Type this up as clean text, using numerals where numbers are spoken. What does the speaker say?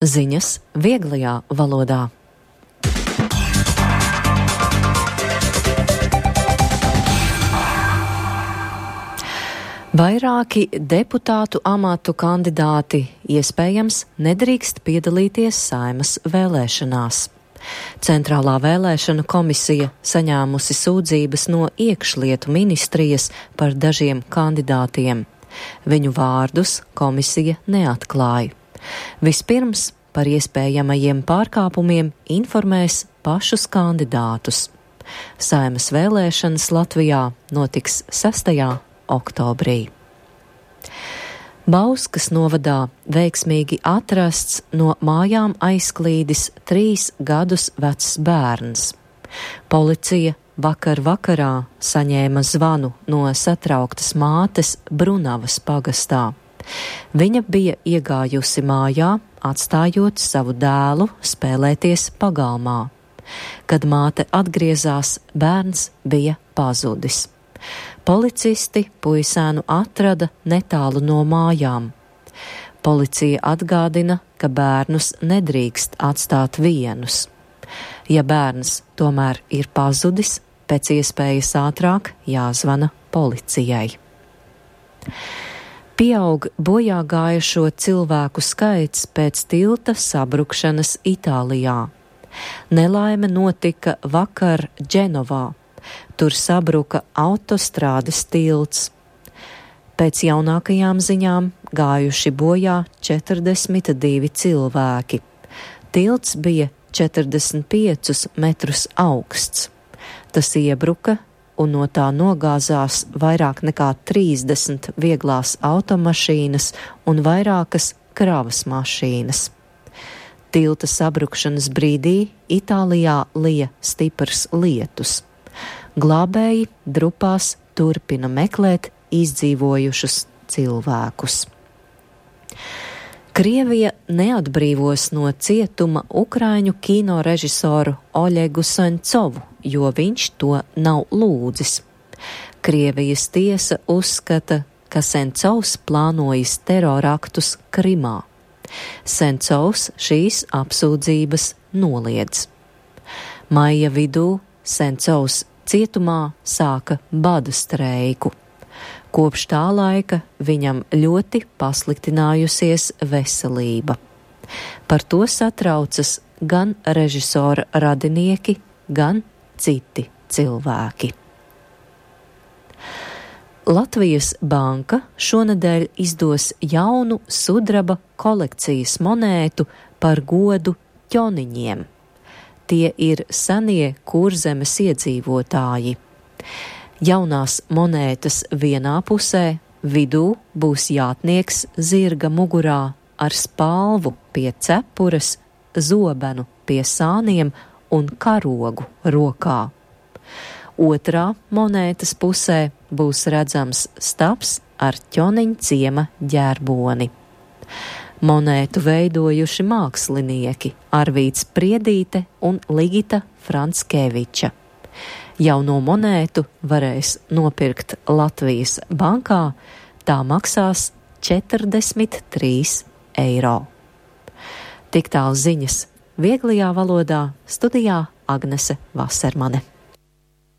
Ziņas vieglajā valodā. Vairāki deputātu amatu kandidāti iespējams nedrīkst piedalīties Saeimas vēlēšanās. Centrālā vēlēšanu komisija saņēmusi sūdzības no iekšlietu ministrijas par dažiem kandidātiem. Viņu vārdus komisija neatklāja. Vispirms par iespējamajiem pārkāpumiem informēs pašus kandidātus. Saeimas vēlēšanas Latvijā notiks 6. oktobrī. Bauskas novadā veiksmīgi atrasts no mājām aizklīdis 3 gadus vecs bērns. Policija vakar vakarā saņēma zvanu no satrauktas mātes Brunavas pagastā. Viņa bija iegājusi mājā, atstājot savu dēlu spēlēties pagalmā. Kad māte atgriezās, bērns bija pazudis. Policisti puisēnu atrada netālu no mājām. Policija atgādina, ka bērnus nedrīkst atstāt vienus. Ja bērns tomēr ir pazudis, pēc iespējas ātrāk jāzvana policijai. Pieaug bojā gājušo cilvēku skaits pēc tilta sabrukšanas Itālijā. Nelaime notika vakar Dženovā. Tur sabruka autostrādes tilts. Pēc jaunākajām ziņām gājuši bojā 42 cilvēki. Tilts bija 45 metrus augsts. Tas iebruka un no tā nogāzās vairāk nekā 30 vieglās automašīnas un vairākas kravas mašīnas. Tilta sabrukšanas brīdī Itālijā lija stiprs lietus. Glābēji drupās turpina meklēt izdzīvojušus cilvēkus. Krievija neatbrīvos no cietuma ukraiņu kinorežisoru Oļegu Sencovu, jo viņš to nav lūdzis. Krievijas tiesa uzskata, ka Sencovs plānojis teroraktus Krimā. Sencovs šīs apsūdzības noliedz. Maija vidū Sencovs cietumā sāka bada streiku. Kopš tā laika viņam ļoti pasliktinājusies veselība. Par to satraucas gan režisora radinieki, gan citi cilvēki. Latvijas banka šonedēļ izdos jaunu sudraba kolekcijas monētu par godu ķoniņiem. Tie ir senie Kurzemes iedzīvotāji. Jaunās monētas vienā pusē, vidū būs jātnieks zirga mugurā ar spalvu pie cepures, zobenu pie sāniem un karogu rokā. Otrā monētas pusē būs redzams stabs ar ķoniņa ciema ģerboni. Monētu veidojuši mākslinieki Arvīts Priedīte un Ligita Franskeviča. Jauno monētu varēs nopirkt Latvijas bankā, tā maksās 43 eiro. Tik tālu ziņas vieglajā valodā, studijā Agnese Vasermane.